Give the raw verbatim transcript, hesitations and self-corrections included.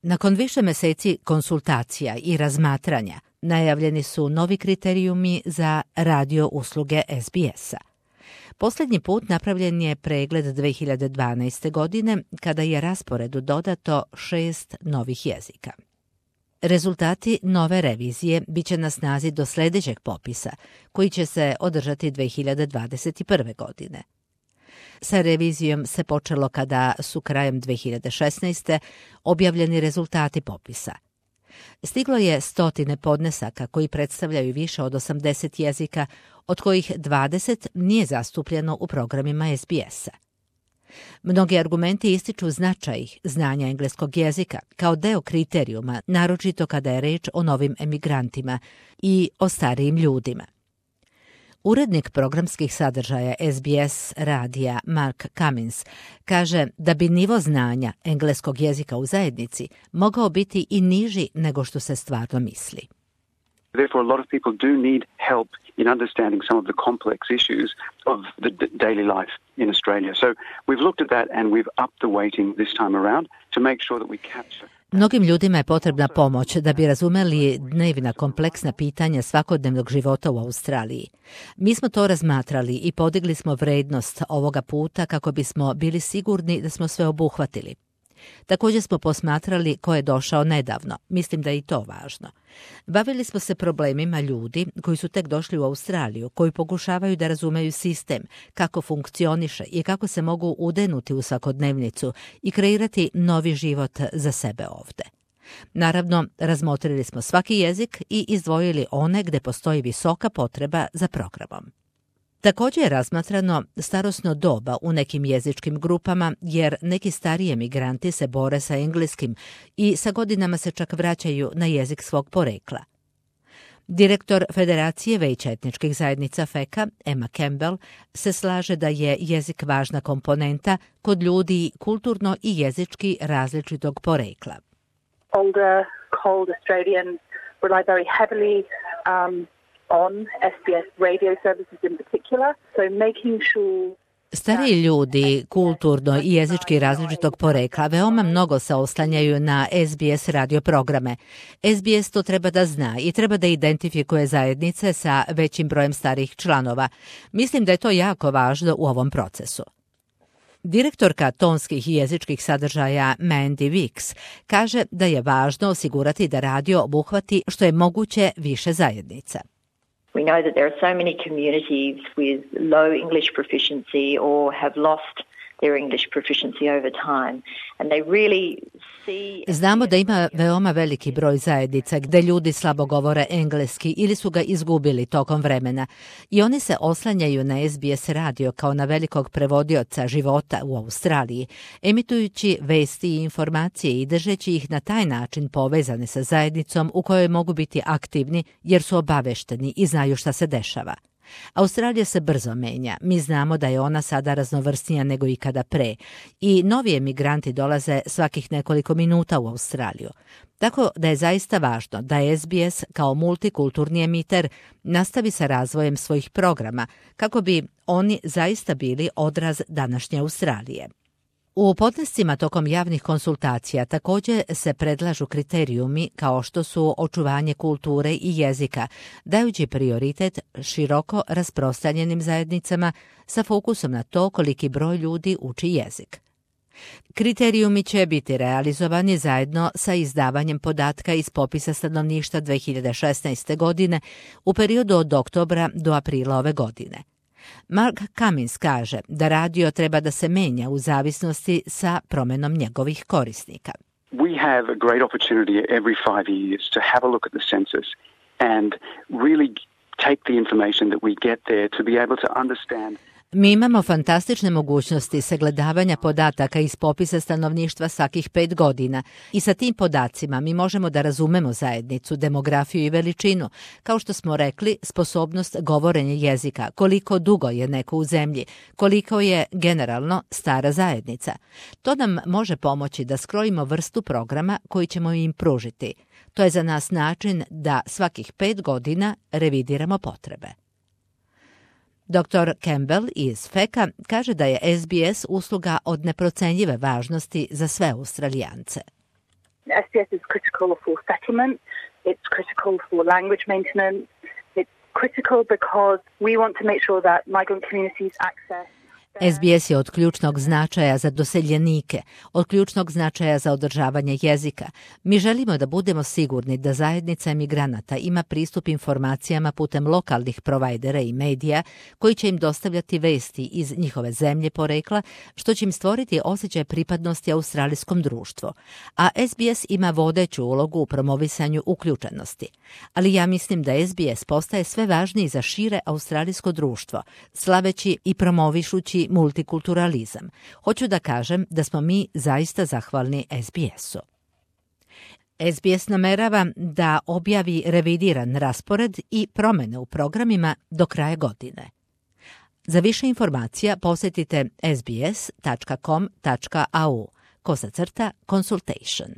Nakon više meseci konsultacija i razmatranja, najavljeni su novi kriterijumi za radio usluge S B S-a. Posljednji put napravljen je pregled dve hiljade dvanaeste. godine, kada je rasporedu dodato šest novih jezika. Rezultati nove revizije bit će na snazi do sljedećeg popisa, koji će se održati dve hiljade dvadeset prve. godine. Sa revizijom se počelo kada su krajem dve hiljade šesnaeste. objavljeni rezultati popisa. Stiglo je stotine podnesaka koji predstavljaju više od osamdeset jezika, od kojih dvadeset nije zastupljeno u programima S B S-a. Mnogi argumenti ističu značaj znanja engleskog jezika kao deo kriterijuma, naročito kada je reč o novim emigrantima i o starijim ljudima. Urednik programskih sadržaja S B S radija Mark Cummins kaže da bi nivo znanja engleskog jezika u zajednici mogao biti i niži nego što se stvarno misli. Therefore, a lot of people do need help in understanding some of the complex issues of the d- daily life in Australia. So we've looked at that and we've upped the weighting this time around to make sure that we capture. Mnogim ljudima je potrebna pomoć da bi razumeli dnevna kompleksna pitanja svakodnevnog života u Australiji. Mi smo to razmatrali i podigli smo vrednost ovoga puta kako bismo bili sigurni da smo sve obuhvatili. Također smo posmatrali ko je došao nedavno. Mislim da je i to važno. Bavili smo se problemima ljudi koji su tek došli u Australiju, koji pokušavaju da razumeju sistem, kako funkcioniše i kako se mogu udenuti u svakodnevnicu i kreirati novi život za sebe ovde. Naravno, razmotrili smo svaki jezik i izdvojili one gde postoji visoka potreba za programom. Također je razmatrano starosno doba u nekim jezičkim grupama, jer neki stariji emigranti se bore sa engleskim i sa godinama se čak vraćaju na jezik svog porekla. Direktor Federacije Veća etničkih zajednica F E C A, Emma Campbell, se slaže da je jezik važna komponenta kod ljudi kulturno i jezički različitog porekla. Older, cold Australians rely very heavily um, on S B S radio services in particular, so making sure Stariji ljudi kulturno i jezički različitog porekla veoma mnogo se oslanjaju na S B S radio programe. S B S to treba da zna i treba da identifikuje zajednice sa većim brojem starih članova. Mislim da je to jako važno u ovom procesu. Direktorka tonskih i jezičkih sadržaja Mandy Weeks kaže da je važno osigurati da radio obuhvati što je moguće više zajednica. We know that there are so many communities with low English proficiency or have lost their English proficiency over time, and they really see... Znamo da ima veoma veliki broj zajednica gde ljudi slabo govore engleski ili su ga izgubili tokom vremena i oni se oslanjaju na S B S radio kao na velikog prevodioca života u Australiji, emitujući vesti i informacije i držeći ih na taj način povezane sa zajednicom u kojoj mogu biti aktivni jer su obavešteni i znaju šta se dešava. Australija se brzo menja. Mi znamo da je ona sada raznovrsnija nego ikada pre i novi emigranti dolaze svakih nekoliko minuta u Australiju. Tako da je zaista važno da S B S kao multikulturni emiter nastavi sa razvojem svojih programa kako bi oni zaista bili odraz današnje Australije. U podnescima tokom javnih konsultacija također se predlažu kriterijumi kao što su očuvanje kulture i jezika, dajući prioritet široko rasprostranjenim zajednicama sa fokusom na to koliki broj ljudi uči jezik. Kriterijumi će biti realizovani zajedno sa izdavanjem podatka iz popisa stanovništva dve hiljade šesnaeste. godine u periodu od oktobra do aprila ove godine. Mark Cummins kaže da radio treba da se menja u zavisnosti sa promenom njegovih korisnika. We have a great opportunity every five years to have a look at the census and really take the information that we get there to be able to understand. Mi imamo fantastične mogućnosti sagledavanja podataka iz popisa stanovništva svakih pet godina i sa tim podacima mi možemo da razumemo zajednicu, demografiju i veličinu, kao što smo rekli, sposobnost govorenja jezika, koliko dugo je neko u zemlji, koliko je generalno stara zajednica. To nam može pomoći da skrojimo vrstu programa koji ćemo im pružiti. To je za nas način da svakih pet godina revidiramo potrebe. doktor Campbell iz F E C A kaže da je S B S usluga od neprocenjive važnosti za sve Australijance. S B S is critical for settlement, it's critical for language maintenance, it's critical because we want to make sure that migrant communities access S B S je od ključnog značaja za doseljenike, od ključnog značaja za održavanje jezika. Mi želimo da budemo sigurni da zajednica emigranata ima pristup informacijama putem lokalnih provajdera i medija koji će im dostavljati vesti iz njihove zemlje porekla, što će im stvoriti osjećaj pripadnosti australijskom društvu. A S B S ima vodeću ulogu u promovisanju uključenosti. Ali ja mislim da S B S postaje sve važniji za šire australijsko društvo, slaveći i promovišući multikulturalizam. Hoću da kažem da smo mi zaista zahvalni S B S-u. S B S namerava da objavi revidiran raspored i promene u programima do kraja godine. Za više informacija posjetite s b s tačka com tačka a u kosa crta consultation.